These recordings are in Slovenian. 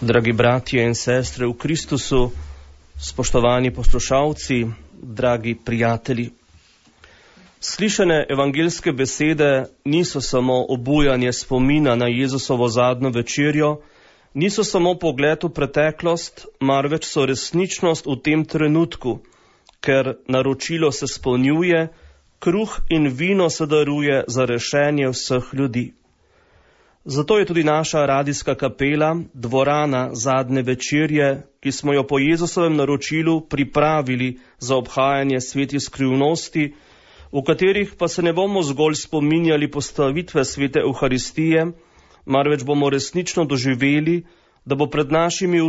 Dragi bratje in sestre v Kristusu, spoštovani poslušalci, dragi prijatelji. Slišane evangeljske besede niso samo obujanje spomina na Jezusovo zadnjo večerjo, niso samo pogled v preteklost, marveč so resničnost v tem trenutku, ker naročilo se spolnjuje, kruh in vino se daruje za rešenje vseh ljudi. Zato je tudi naša radijska kapela, dvorana zadnje večerje, ki smo jo po Jezusovem naročilu pripravili za obhajanje svetih skrivnosti, v katerih pa se ne bomo zgolj spominjali postavitve svete Evharistije, marveč bomo resnično doživeli, da bo pred našimi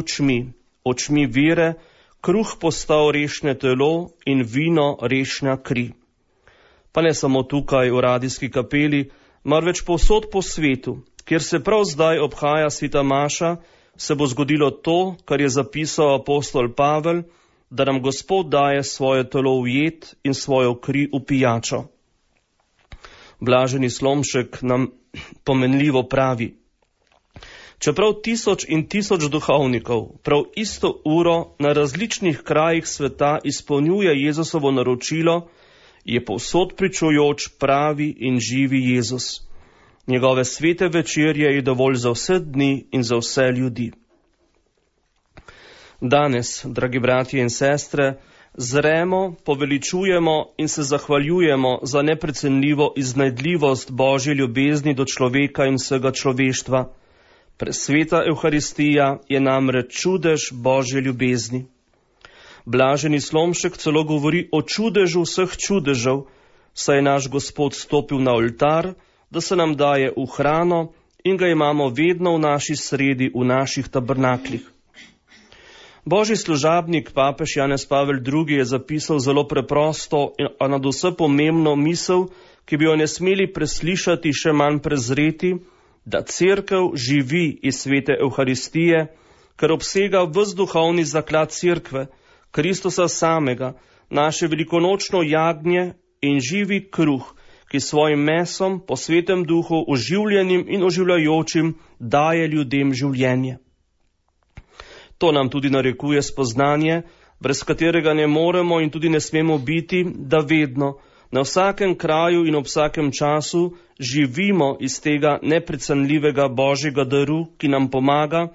očmi vere, kruh postal rešne telo in vino rešna kri. Pa ne samo tukaj v radijski kapeli, marveč povsod po svetu, kjer se prav zdaj obhaja sveta maša, se bo zgodilo to, kar je zapisal apostol Pavel, da nam Gospod daje svoje telo v jed in svojo kri v pijačo. Blaženi Slomšek nam pomenljivo pravi: čeprav 1000 in 1000 duhovnikov prav isto uro na različnih krajih sveta izpolnjuje Jezusovo naročilo, je povsod pričujoč pravi in živi Jezus. Njegove svete večerje je dovolj za vse dni in za vse ljudi. Danes, dragi bratje in sestre, zremo, poveličujemo in se zahvaljujemo za neprecenljivo iznajdljivost Božje ljubezni do človeka in vsega človeštva. Presveta Evharistija je namreč čudež Božje ljubezni. Blaženi Slomšek celo govori o čudežu vseh čudežev, saj je naš Gospod stopil na oltar, da se nam daje v hrano in ga imamo vedno v naši sredi, v naših tabernaklih. Božji služabnik, papež Janez Pavel II. Je zapisal zelo preprosto, a nadvse pomembno misel, ki bi jo ne smeli preslišati, še manj prezreti, da cerkev živi iz svete Evharistije, ker obsega ves duhovni zaklad cerkve, Kristusa samega, naše velikonočno jagnje in živi kruh, ki svojim mesom po svetem duhu oživljenim in oživljajočim daje ljudem življenje. To nam tudi narekuje spoznanje, brez katerega ne moremo in tudi ne smemo biti, da vedno, na vsakem kraju in ob vsakem času živimo iz tega neprecenljivega Božjega daru, ki nam pomaga,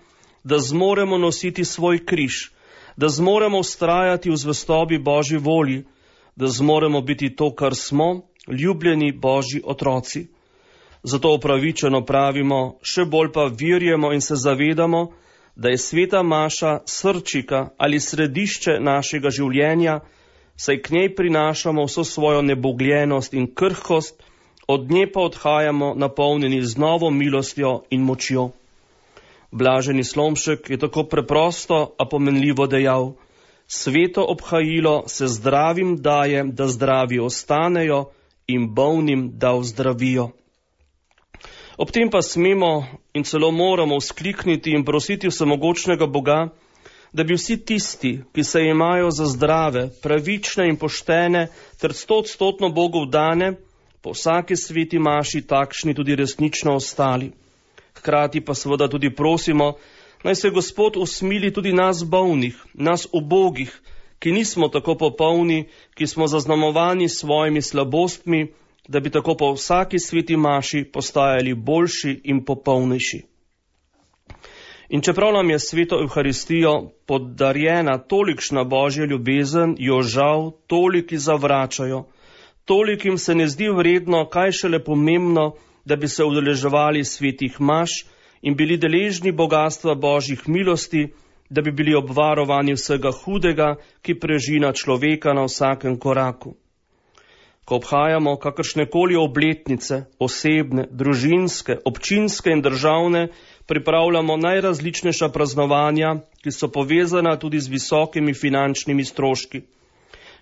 da zmoremo nositi svoj križ, da zmoremo vztrajati v zvestobi Božji volji, da zmoremo biti to, kar smo, ljubljeni Božji otroci. Zato upravičeno pravimo, še bolj pa verjemo in se zavedamo, da je sveta maša srčika ali središče našega življenja, saj k njej prinašamo vso svojo nebogljenost in krhkost, od nje pa odhajamo napolnjeni z novo milostjo in močjo. Blaženi Slomšek je tako preprosto, a pomenljivo dejal: sveto obhajilo se zdravim daje, da zdravi ostanejo, in bolnim da ozdravijo. Ob tem pa smemo in celo moramo vzklikniti in prositi vsemogočnega Boga, da bi vsi tisti, ki se imajo za zdrave, pravične in poštene ter 100% Bogu vdane, po vsaki sveti maši takšni tudi resnično ostali. Hkrati pa seveda tudi prosimo, naj se Gospod usmili tudi nas bolnih, nas ubogih, ki nismo tako popolni, ki smo zaznamovani s svojimi slabostmi, da bi tako po vsaki sveti maši postajali boljši in popolnejši. In čeprav nam je sveto Evharistijo podarjena tolikšna Božja ljubezen, jo žal toliki zavračajo. Tolikim se ne zdi vredno, kaj šele pomembno, da bi se udeleževali svetih maš in bili deležni bogatstva Božjih milosti, da bi bili obvarovani vsega hudega, ki prežina človeka na vsakem koraku. Ko obhajamo kakršnekoli obletnice, osebne, družinske, občinske in državne, pripravljamo najrazličnejša praznovanja, ki so povezana tudi z visokimi finančnimi stroški.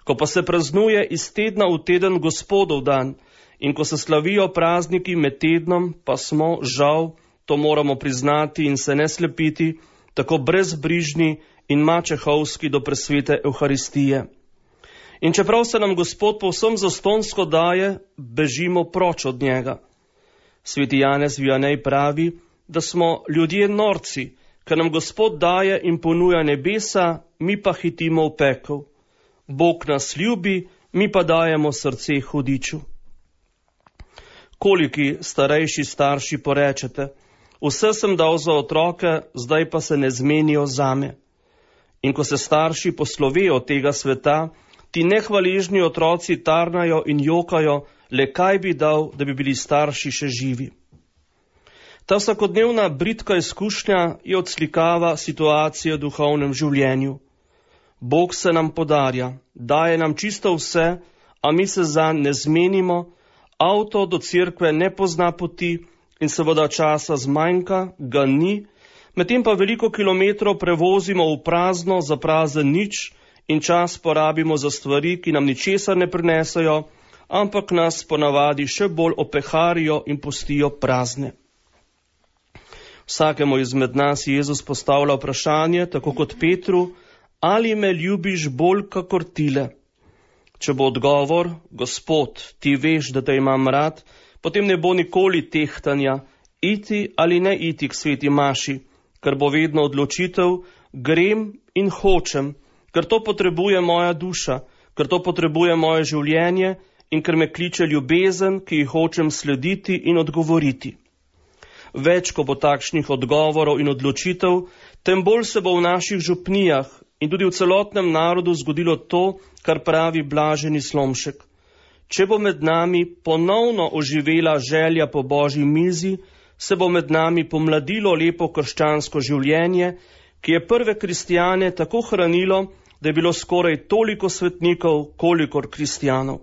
Ko pa se praznuje iz tedna v teden Gospodov dan in ko se slavijo prazniki med tednom, pa smo, žal, to moramo priznati in se ne slepiti, tako brezbrižni in mačehovski do presvete Evharistije. In čeprav se nam Gospod povsem zastonjsko daje, bežimo proč od njega. Sveti Janez Vianej pravi, da smo ljudje norci, ker nam Gospod daje in ponuja nebesa, mi pa hitimo v pekel. Bog nas ljubi, mi pa dajemo srce hudiču. Koliki starejši starši porečete, vse sem dal za otroke, zdaj pa se ne zmenijo zame. In ko se starši poslovejo od tega sveta, ti nehvaležni otroci tarnajo in jokajo, le kaj bi dal, da bi bili starši še živi. Ta vsakodnevna bridka izkušnja je odslikava situacije v duhovnem življenju. Bog se nam podarja, daje nam čisto vse, a mi se zanj ne zmenimo, avto do cerkve ne pozna poti in seveda časa zmanjka, ga ni, medtem pa veliko kilometrov prevozimo v prazno za prazen nič in čas porabimo za stvari, ki nam ničesar ne prinesajo, ampak nas ponavadi še bolj opeharijo in pustijo prazne. Vsakemu izmed nas Jezus postavlja vprašanje, tako kot Petru, ali me ljubiš bolj kakor tile? Če bo odgovor, Gospod, ti veš, da te imam rad, potem ne bo nikoli tehtanja, iti ali ne iti k sveti maši, ker bo vedno odločitev, grem in hočem, ker to potrebuje moja duša, ker to potrebuje moje življenje in ker me kliče ljubezen, ki ji hočem slediti in odgovoriti. Več, ko bo takšnih odgovorov in odločitev, tem bolj se bo v naših župnijah in tudi v celotnem narodu zgodilo to, kar pravi blaženi Slomšek. Če bo med nami ponovno oživela želja po Božji mizi, se bo med nami pomladilo lepo krščansko življenje, ki je prve kristjane tako hranilo, da je bilo skoraj toliko svetnikov, kolikor kristjanov.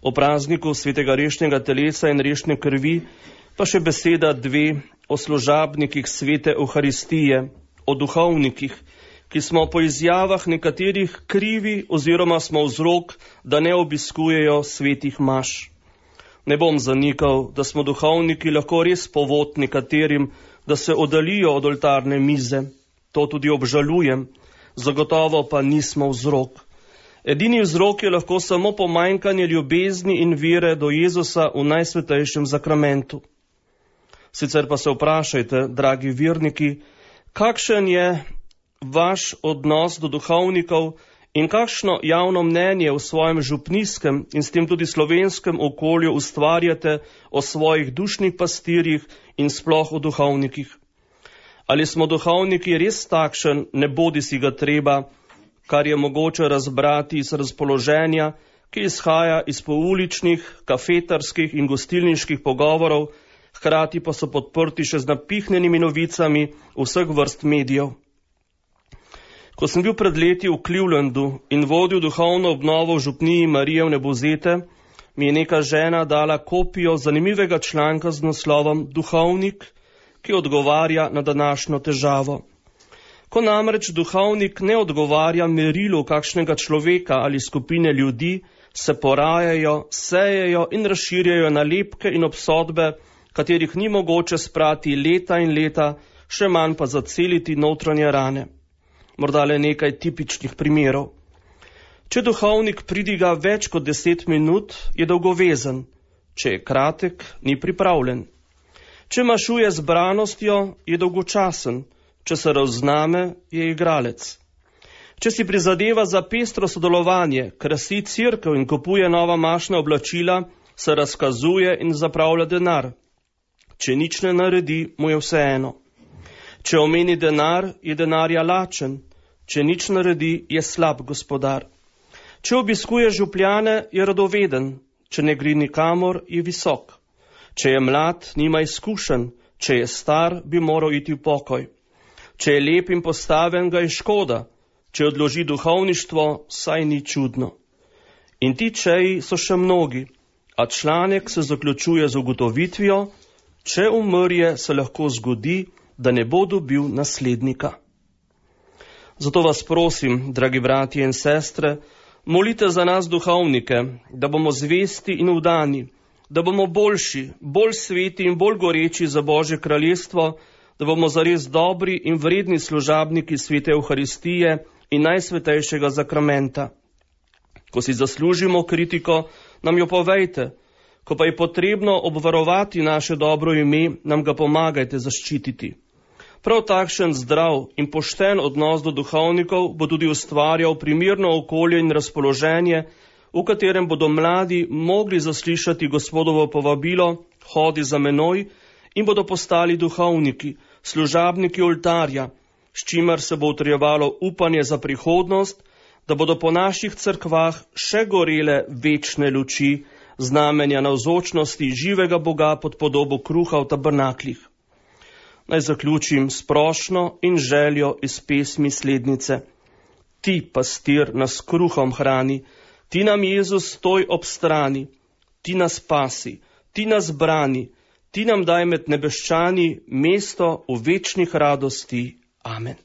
O prazniku svetega rešnjega telesa in rešne krvi pa še beseda dve o služabnikih svete Euharistije, o duhovnikih, ki smo po izjavah nekaterih krivi oziroma smo vzrok, da ne obiskujejo svetih maš. Ne bom zanikal, da smo duhovniki lahko res povod nekaterim, da se oddalijo od oltarne mize. To tudi obžalujem, zagotovo pa nismo vzrok. Edini vzrok je lahko samo pomanjkanje ljubezni in vere do Jezusa v najsvetejšem zakramentu. Sicer pa se vprašajte, dragi verniki, kakšen je vaš odnos do duhovnikov in kakšno javno mnenje v svojem župnijskem in s tem tudi slovenskem okolju ustvarjate o svojih dušnih pastirjih in sploh o duhovnikih. Ali smo duhovniki res takšen, ne bodi si ga treba, kar je mogoče razbrati iz razpoloženja, ki izhaja iz pouličnih, kafetarskih in gostilniških pogovorov, hkrati pa so podprti še z napihnjenimi novicami vseh vrst medijev. Ko sem bil pred leti v Clevelandu in vodil duhovno obnovo v župniji Marije Vnebovzete, mi je neka žena dala kopijo zanimivega članka z naslovom Duhovnik, ki odgovarja na današnjo težavo. Ko namreč duhovnik ne odgovarja merilu kakšnega človeka ali skupine ljudi, se porajajo, sejejo in razširjajo nalepke in obsodbe, katerih ni mogoče sprati leta in leta, še manj pa zaceliti notranje rane. Morda le nekaj tipičnih primerov. Če duhovnik pridiga več kot 10 minut, je dolgovezen. Če je kratek, ni pripravljen. Če mašuje z branostjo, je dolgočasen. Če se razzname, je igralec. Če si prizadeva za pestro sodelovanje, krasi cerkev in kupuje nova mašna oblačila, se razkazuje in zapravlja denar. Če nič ne naredi, mu je vseeno. Če omeni denar, je denarja lačen. Če nič naredi, je slab gospodar. Če obiskuje župljane, je radoveden. Če ne gre nikamor, je visok. Če je mlad, nima izkušenj. Če je star, bi moral iti v pokoj. Če je lep in postaven, ga je škoda. Če odloži duhovništvo, saj ni čudno. In ti čeji so še mnogi, a članek se zaključuje z ugotovitvijo, če umrje, se lahko zgodi, da ne bo dobil naslednika. Zato vas prosim, dragi bratje in sestre, molite za nas duhovnike, da bomo zvesti in vdani, da bomo boljši, bolj sveti in bolj goreči za Božje kraljestvo, da bomo zares dobri in vredni služabniki svete Euharistije in najsvetejšega zakramenta. Ko si zaslužimo kritiko, nam jo povejte. Ko pa je potrebno obvarovati naše dobro ime, nam ga pomagajte zaščititi. Prav takšen zdrav in pošten odnos do duhovnikov bo tudi ustvarjal primirno okolje in razpoloženje, v katerem bodo mladi mogli zaslišati Gospodovo povabilo, hodi za menoj, in bodo postali duhovniki, služabniki oltarja, s čimer se bo utrjevalo upanje za prihodnost, da bodo po naših cerkvah še gorele večne luči, znamenja navzočnosti živega Boga pod podobo kruha v tabernaklih. Naj zaključim s prošnjo in željo iz pesmi slednice. Ti, pastir, nas kruhom hrani, ti nam, Jezus, stoj ob strani, ti nas spasi, ti nas brani, ti nam daj med nebeščani mesto v večnih radosti. Amen.